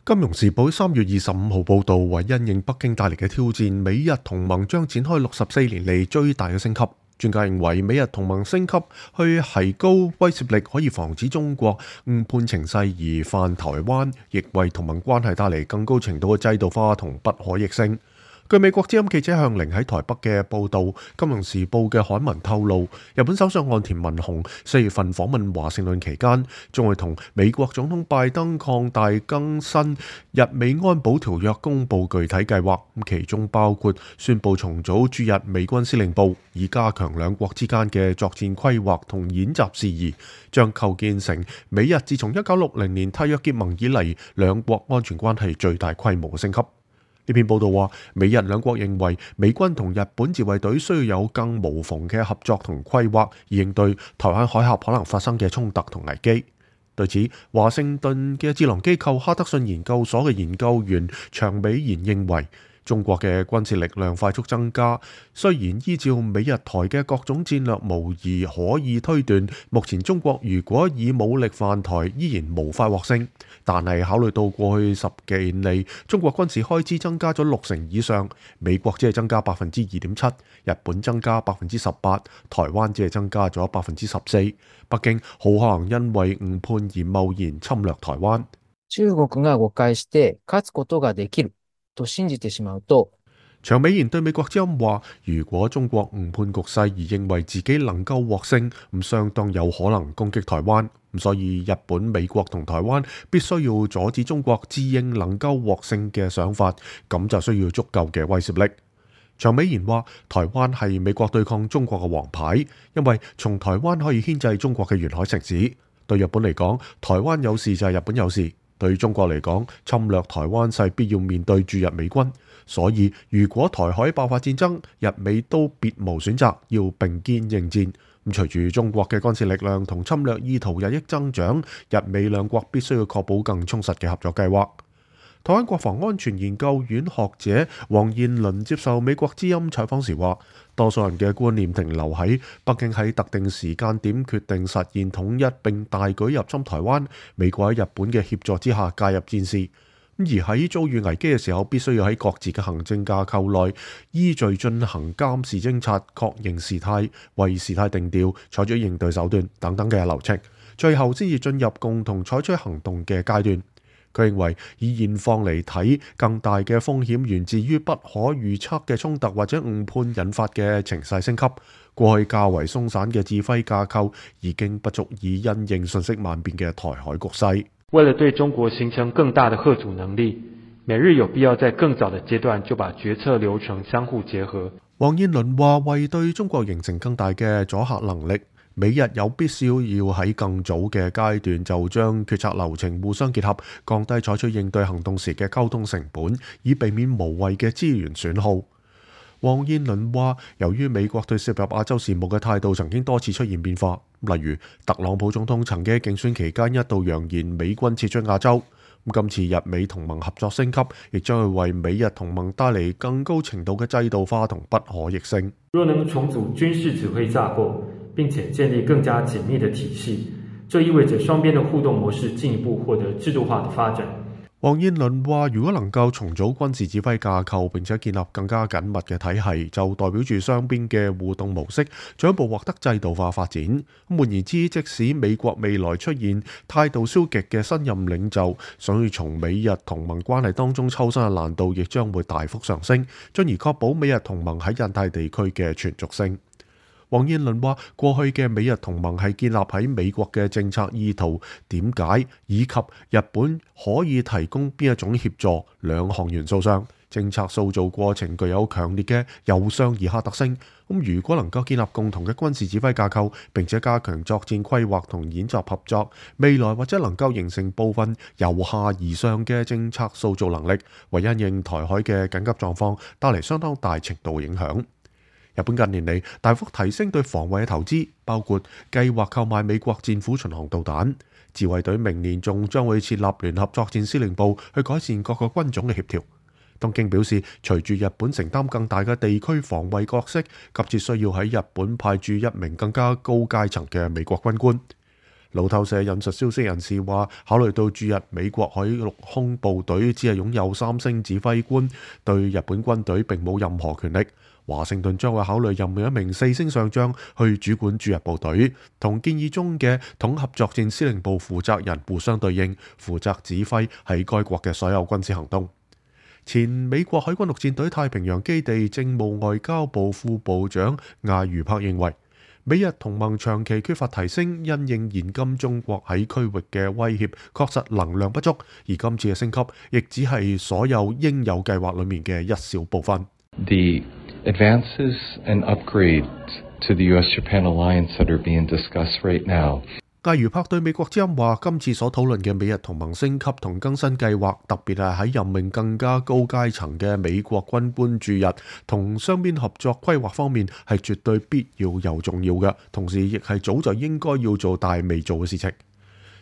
金融時報3月25號報導，為因應北京帶嚟嘅挑戰，美日同盟將展開64年嚟最大嘅升級。專家認為，美日同盟升級去提高威懾力，可以防止中國誤判情勢而犯台灣，亦為同盟關係帶嚟更高程度嘅制度化同不可逆性。據美國之音記者向凌喺台北嘅報導，《金融時報》嘅刊文透露，日本首相岸田文雄4月份訪問華盛頓期間，將會同美國總統拜登擴大更新日美安保條約，公佈具體計劃，其中包括宣布重組駐日美軍司令部，以加強兩國之間嘅作戰規劃同演習事宜，將構建成美日自從1960年締約結盟以嚟兩國安全關係最大規模嘅升級。呢篇報道話，美日兩國認為美軍同日本自衛隊需要有更無縫嘅合作同規劃，以應對台灣海峽可能發生嘅衝突同危機。對此，華盛頓嘅智囊機構哈德遜研究所嘅研究員長美賢認為，中國嘅軍事力量快速增加，雖然依照美日台嘅各種戰略模擬可以推斷，目前中國如果以武力犯台，依然無法獲勝。但係考慮到過去10幾年嚟，中國軍事開支增加咗60%以上，美國只係增加2.7%，日本增加18%，台灣只係增加咗14%。北京好可能因為誤判而貿然侵略台灣。中國が誤解して勝つことができると信じてしまうと，長美賢對美國之音話，如果中國誤判局勢而認為自己能夠獲勝，咁相當有可能攻擊台灣。所以日本、美國同台灣必須要阻止中國自認能夠獲勝嘅想法，咁就需要足夠嘅威懾力。長美賢話，台灣係美國對抗中國嘅王牌，因為從台灣可以牽制中國嘅沿海城市。對日本嚟講，台灣有事就係日本有事；對中國嚟講，侵略台灣勢必要面對駐日美軍。所以如果台海爆發戰爭，日美都別無選擇，要並肩應戰。隨住中國嘅軍事力量同侵略意圖日益增長，日美兩國必須要確保更充實嘅合作計劃。台灣國防安全研究院學者黃彥麟接受美國之音採訪時話，多數人嘅觀念停留喺北京喺特定時間點決定實現統一並大舉入侵台灣，美國喺日本嘅協助之下介入戰事。而喺遭遇危機嘅時候，必須要喺各自嘅行政架構內依序進行監視偵察、確認事態、為事態定調、採取應對手段等等嘅流程，最後先至進入共同採取行動嘅階段。佢認為以現況嚟睇，更大嘅風險源自於不可預測嘅衝突或者誤判引發嘅情勢升級。過去較為鬆散嘅指揮架構已經不足以因應瞬息萬變嘅台海局勢。為了對中國形成更大的嚇阻能力，美日有必要在更早的階段就把決策流程相互結合。黃彥麟話，為對中國形成更大嘅阻嚇能力，美日有必要喺更早嘅階段就將決策流程互相結合，降低採取應對行動時嘅溝通成本，以避免無謂嘅資源損耗。黃彥麟話，由於美國對涉入亞洲事務嘅態度曾經多次出現變化，例如特朗普總統曾經喺競選期間一度揚言美軍撤出亞洲。今次日美同盟合作升級，亦將會為美日同盟帶嚟更高程度嘅制度化同不可逆性。若能重組軍事指揮架構，並且建立更加緊密的體系，這意味着雙邊的互動模式進一步獲得制度化的發展。黃彥麟話，如果能夠重組軍事指揮架構並且建立更加緊密嘅體系，就代表住雙邊嘅互動模式進一步獲得制度化發展。換言之，即使美國未來出現態度消極嘅新任領袖，想要從美日同盟關係當中抽身嘅難度亦將會大幅上升，進而確保美日同盟喺印太地區嘅存續性。黃彥麟話，過去嘅美日同盟係建立喺美國嘅政策意圖、點解以及日本可以提供邊一種協助兩項元素上。政策塑造過程具有強烈嘅由上而下特性。如果能夠建立共同嘅軍事指揮架構，並且加強作戰規劃同演習合作，未來或者能夠形成部分由下而上嘅政策塑造能力，為因應台海嘅緊急狀況帶嚟相當大程度影響。日本近年嚟大幅提升對防衛嘅投資，包括計劃購買美國戰斧巡航導彈。自衛隊明年仲將會設立聯合作戰司令部，去改善各個軍種嘅協調。東京表示，隨住日本承擔更大嘅地區防衛角色，急切需要喺日本派駐一名更加高階層嘅美國軍官。路透社引述消息人士話，考慮到駐日美國海陸空部隊只係擁有3星指揮官，對日本軍隊並冇任何權力，華盛頓將會考慮任命一名4星上將去主管駐日部隊，同建議中嘅統合作戰司令部負責人互相對應，負責指揮喺該國嘅所有軍事行動。前美國海軍陸戰隊太平洋基地政務外交部副部長艾如柏認為，美日同盟長期缺乏提升，因應現今中國喺區域嘅威脅，確實能量不足，而今次嘅升級亦只係所有應有計劃裡面嘅一小部分。The advances and upgrades to the US-Japan alliance that are being discussed right now。艾如柏對美國之音話，今次所討論嘅美日同盟升級同更新計劃，特別係喺任命更加高階層嘅美國軍官駐日同雙邊合作規劃方面，係絕對必要又重要嘅，同時亦係早就應該要做但未做嘅事情。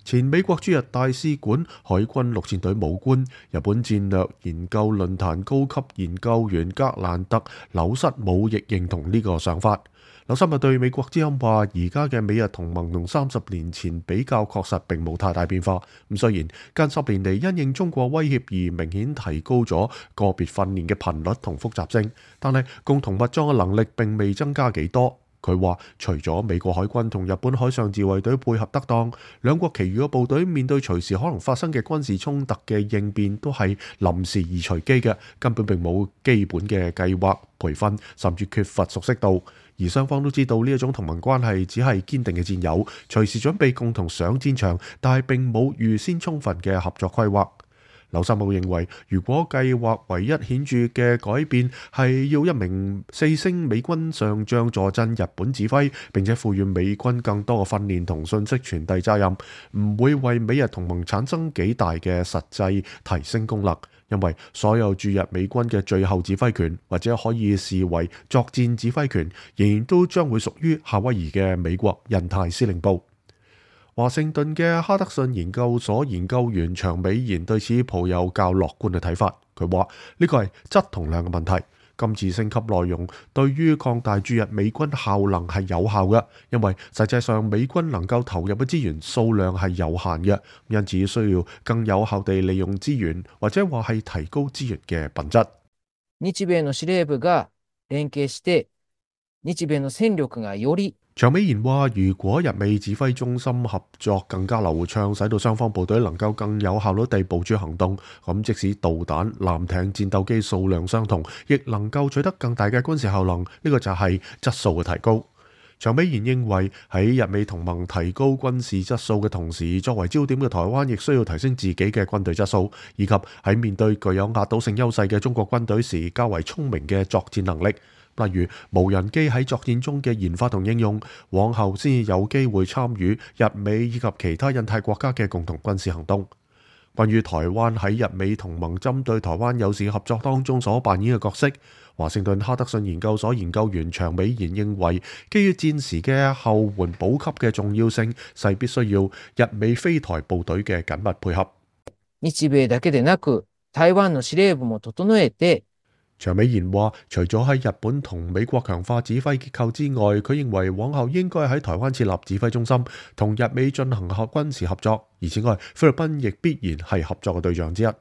前美國駐日大使館海軍陸戰隊武官、日本戰略研究論壇高級研究員格蘭特·紐瑟姆亦認同呢個想法。紐瑟姆對美國之音話，而家嘅美日同盟同30年前比較確實並冇太大變化。咁雖然近10年嚟因應中國威脅而明顯提高咗個別訓練嘅頻率同複雜性，但係共同物裝嘅能力並未增加幾多。佢話，除咗美國海軍同日本海上自衛隊配合得當，兩國其餘嘅部隊面對隨時可能發生嘅軍事衝突嘅應變都係臨時而隨機嘅，根本並冇基本嘅計劃、培訓，甚至缺乏熟悉度。而雙方都知道呢一種同盟關係只係堅定嘅戰友，隨時準備共同上戰場，但係並冇預先充分嘅合作規劃。紐瑟姆認為，如果計劃唯一顯著嘅改變係要一名4星美軍上將坐鎮日本指揮，並且賦予美軍更多嘅訓練同信息傳遞責任，唔會為美日同盟產生幾大嘅實際提升功能，因為所有駐日美軍嘅最後指揮權或者可以視為作戰指揮權，仍然都將會屬於夏威夷嘅美國印太司令部。華盛頓嘅哈德遜研究所研究員長美賢對此抱有較樂觀嘅睇法。佢話呢個係質同量嘅問題。今次升級內容對於擴大駐日美軍效能係有效嘅，因為實際上美軍能夠投入嘅資源數量係有限嘅，因此需要更有效地利用資源，或者話係提高資源嘅品質。日米の司令部が連携して日米の戦力がより長美賢話，如果日美指揮中心合作更加流暢，使到雙方部隊能夠更有效率地部署行動，咁即使導彈、艦艇、戰鬥機數量相同，亦能夠取得更大嘅軍事效能。呢個就係質素嘅提高。長美賢認為，喺日美同盟提高軍事質素嘅同時，作為焦點嘅台灣亦需要提升自己嘅軍隊質素，以及喺面對具有壓倒性優勢嘅中國軍隊時，較為聰明嘅作戰能力。例如無人機喺作戰中嘅研發同應用，往後先有機會參與日美以及其他印太國家嘅共同軍事行動。關於台灣喺日美同盟針對台灣有事合作當中所扮演嘅角色，華盛頓哈德遜研究所研究員長美賢認為，基於戰時嘅後援補給嘅重要性，勢必需要日美菲台部隊嘅緊密配合。日米だけでなく、台灣の司令部も整えて。長美賢話，除咗喺日本同美國強化指揮結構之外，佢認為往後應該喺台灣設立指揮中心，同日美進行軍事合作。而此外，菲律賓亦必然係合作嘅對象之一。台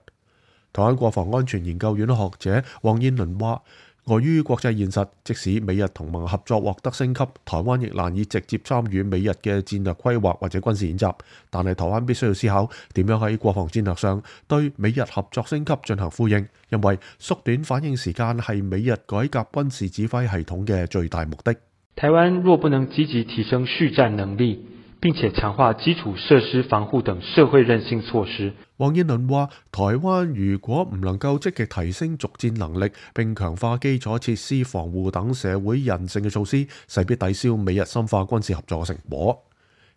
灣國防安全研究院學者黃燕倫話，礙於國際現實，即使美日同盟合作獲得升級，台灣亦難以直接參與美日嘅戰略規劃或者軍事演習。但係台灣必須要思考點樣喺國防戰略上對美日合作升級進行呼應，因為縮短反應時間係美日改革軍事指揮系統嘅最大目的。台灣若不能積極提升續戰能力，並且強化基礎設施防護等社會韌性措施。黃燕倫話，台灣如果唔能夠積極提升續戰能力，並強化基礎設施防護等社會韌性嘅措施，勢必抵消美日深化軍事合作嘅成果。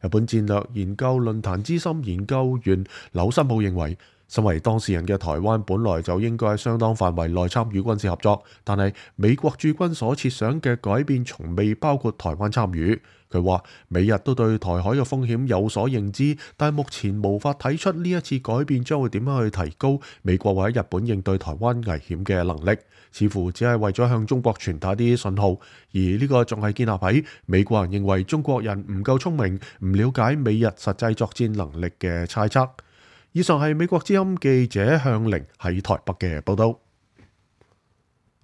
日本戰略研究論壇資深研究員柳森武認為，身為當事人嘅台灣本來就應該喺相當範圍內參與軍事合作，但係美國駐軍所設想嘅改變從未包括台灣參與。佢話美日都對台海嘅風險有所認知，但目前無法睇出呢一次改變將會點樣去提高美國或者日本應對台灣危險嘅能力，似乎只係為咗向中國傳達啲信號，而呢個仲係建立喺美國人認為中國人唔夠聰明、唔了解美日實際作戰能力嘅猜測。以上係美國之音記者向凌喺台北嘅報道。